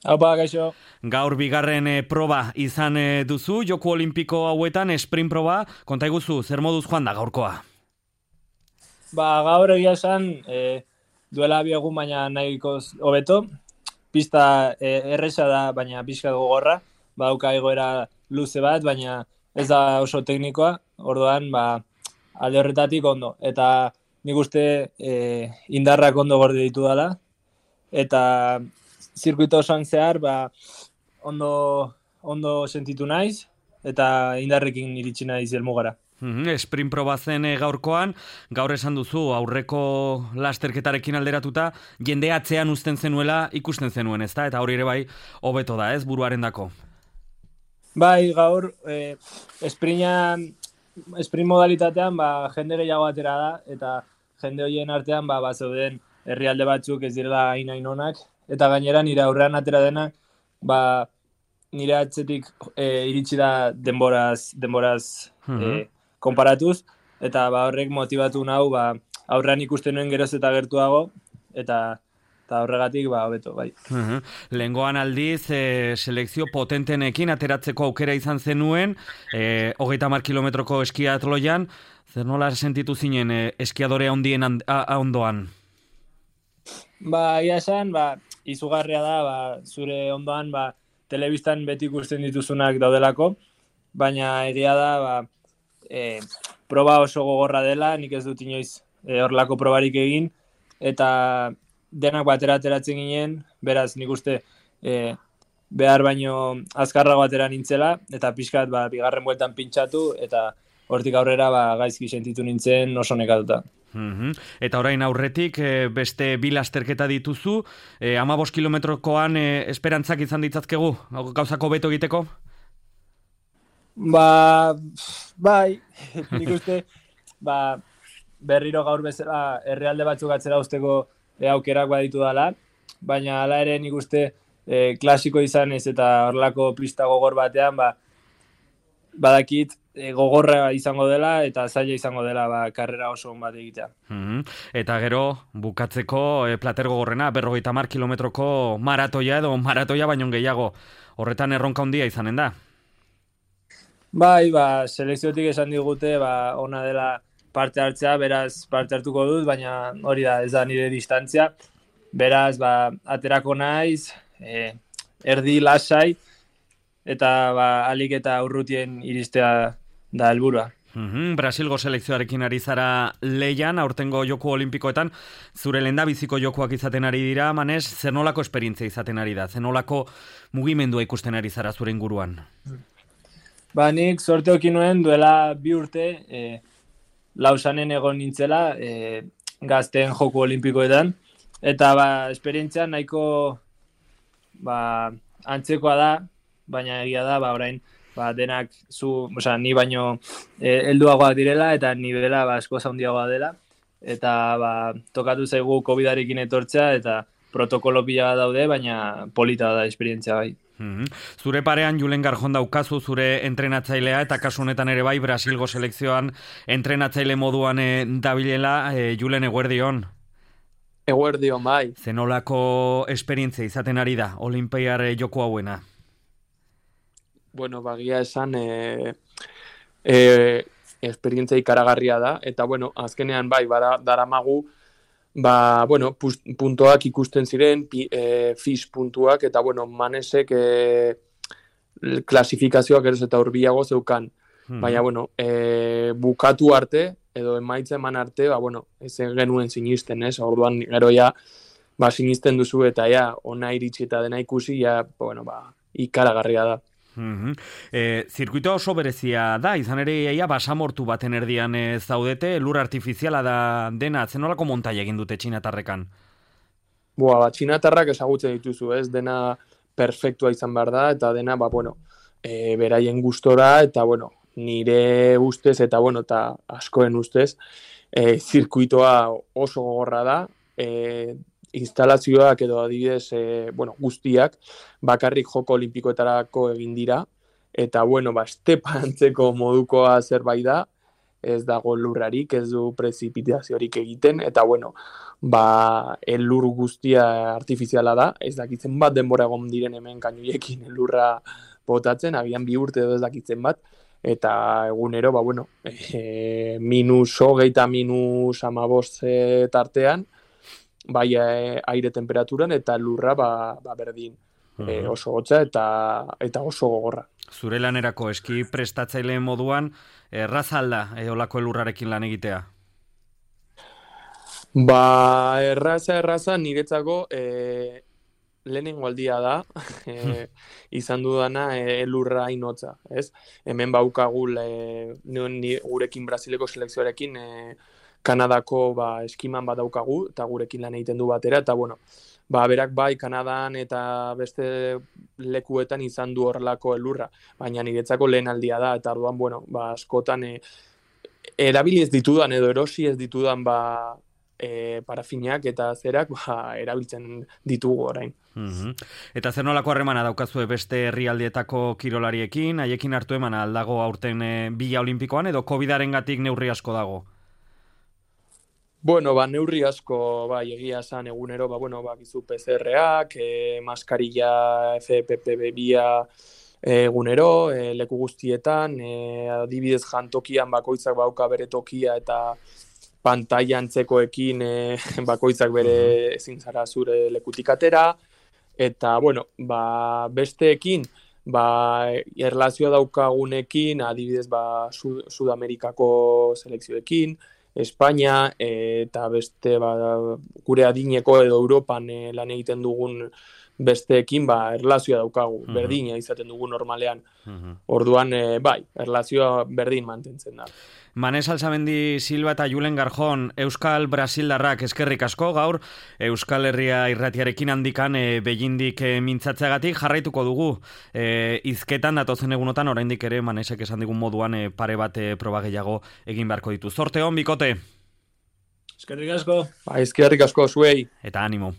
Haupa, gaixo. Gaur bigarren proba izan duzu, Joku Olimpiko hauetan sprint proba, konta iguzu, zer moduz joan da gaurkoa? Gaur egia esan, duela bi egun baina nahiko hobeto. Pista erresa da, baina pixka gogorra. Badauka egoera luze bat, baina ez da oso teknikoa. Orduan, alde horretatik ondo. Eta nik uste indarrak ondo gorde ditu dela. Eta zirkuito osoan zehar, ondo sentitu naiz. Eta indarrekin iritsi naiz helmugara. Sprint proba zen gaurkoan, gaur esan duzu aurreko lasterketarekin alderatuta, jende atzean uzten zenuela ikusten zenuen, ezta? Eta hori ere bai, hobeto da, ez, buruarendako. Bai, gaur, sprint modalitatean, jende gehiago atera da, eta jende horien artean, zeuden herrialde batzuk ez direla hain onak, eta gainera nire aurrean atera dena, nire atzetik iritsi da denboraz konparatuz, eta horrek motibatu nau, aurrean ikusten nuen geroz eta gertuago, eta horregatik, hobeto, bai. Lehengoan aldiz, selekzio potentenekin ateratzeko aukera izan zenuen, 30 kilometroko eskiatloian, zer nola sentitu zinen eskiadore handien ondoan? Ia esan, izugarria da, zure ondoan, telebistan beti ikusten dituzunak daudelako, baina egia da, proba oso gogorra dela, nik ez dut inoiz horrelako probarik egin, eta denak ateratzen ginen, beraz nik uste behar baino azkarrago atera nintzela, eta pixkat bigarren bueltan pintxatu, eta hortik aurrera gaizki sentitu nintzen oso nekatuta. Eta orain aurretik beste bi lasterketa dituzu, 15 kilometrokoan esperantzak izan ditzazkegu, gauzako beto egiteko? Bai, nik uste, berriro gaur bezala herrialde batzuk atzera usteko aukerak baditu dela, baina hala ere nik uste klasiko izan ez eta horrelako pista gogor batean, badakit gogorra izango dela eta zaila izango dela karrera oso on bat egitea. Eta gero, bukatzeko plater gogorrena, 50 kilometroko maratoia edo maratoia baino gehiago, horretan erronka handia izanen da? Bai, selekziotik esan digute, ona dela parte hartzea, beraz parte hartuko dut, baina hori da, ez da nire distantzia. Beraz, aterako naiz, erdi lasai, eta alik eta urrutien iristea da helburua. Brasilgo selekzioarekin ari zara leian, aurtengo Joku Olimpikoetan, zure lehendabiziko jokuak izaten ari dira, Manes, zer nolako esperientzia izaten ari da, zer nolako mugimendua ikusten ari zara zure inguruan? Nik sorte hoki nuen duela 2 urte Lausanen egon nintzela gazteen Joku Olimpikoetan, eta esperientzia nahiko antzekoa da, baina egia da, orain denak ni baino helduagoak direla, eta nibela asko handiagoa dela, eta tokatu zaigu COVID-arekin etortzea, eta protokolo pila daude, baina polita da esperientzia bai. Zure parean Julen Garjon daukazu zure entrenatzailea, eta kasu honetan ere bai Brasilgo selekzioan entrenatzaile moduan dabilela. Julen, eguerdion. Eguerdion, bai. Zenolako esperientzia izaten ari da Olinpiar Joku hauena? Bueno, bagia esan esperientzia ikaragarria da, eta azkenean bai, daramagu puntuak ikusten ziren, FIS puntuak, eta Manesek klasifikazioak eroz eta hurbilago zeukan. Baina, bukatu arte, edo emaitza eman arte, ez genuen sinisten, ez? Orduan, gero sinisten duzu, eta ona iritsi eta dena ikusi, ikaragarria da. Zirkuitoa oso berezia da, izan ere basamortu baten erdian zaudete, lur artifiziala da dena, zenolako montaia egin dute txinatarrekan? Txinatarrak ezagutzen dituzu, ez, dena perfektua izan behar da, eta dena, beraien gustora, eta nire ustez, eta askoen ustez, zirkuitoa oso gogorra da, instalazioak edo adibidez guztiak bakarrik Joko Olimpikoetarako egin dira, eta estepa antzeko modukoa zerbait da, ez dago lurrarik, ez du prezipitaziorik egiten, eta bueno, ba, elur guztia artifiziala da, ez dakitzen bat denbora egon diren hemen kainuiekin elurra botatzen, agian 2 urte edo ez dakitzen bat, eta egunero, ba, bueno, -20 eta -15 tartean, bai aire temperaturan eta lurra ba berdin. Oso hotza eta oso gogorra. Zure lanerako eski prestatzaile moduan, erraza alda olako elurrarekin lan egitea? Ba, erraza niretzako lehenengo aldia da, izan dudana elurra inotza, ez? Hemen baukagu gurekin Brasileko selekzioarekin Kanadako eskiman bat daukagu, eta gurekin lan egiten du batera, eta bueno, berak bai Kanadan eta beste lekuetan izan du horrelako elurra, baina niretzako lehen aldia da, eta orduan, bueno, askotan erabili ez ditudan edo erosi ez ditudan parafinak eta zerak erabiltzen ditugu orain. Eta zer nolako harremana daukazue beste herrialdietako kirolariekin, haiekin hartu emana aldago aurten Bila Olimpikoan, edo COVID-arengatik neurri asko dago? Bueno, neurri asko, egia esan egunero, gizu PCR-ak, maskarilla FFP2 egunero, leku guztietan, adibidez jantokian bakoitzak bauka bere tokia eta pantaila antzekoekin bakoitzak bere ezin zara zure lekutik atera, eta, bueno, besteekin, erlazioa daukagunekin, adibidez, Sudamerikako selekzioekin, Espainia eta beste gure adineko edo Europan lan egiten dugun besteekin erlazioa daukagu, berdina izaten dugu normalean. Orduan, erlazioa berdin mantentzen da. Manes Alzamendi Silva eta Julen Garjon, Euskal Brasildarrak eskerrik asko gaur, Euskal Herria irratiarekin handikan behindik mintzatzeagatik jarraituko dugu. Hizketan datozen egunotan, oraindik ere Manesek esan digun moduan pare bat proba gehiago egin beharko ditu. Zorte hon, bikote! Eskerrik asko! Eskerrik asko zuei! Eta animo!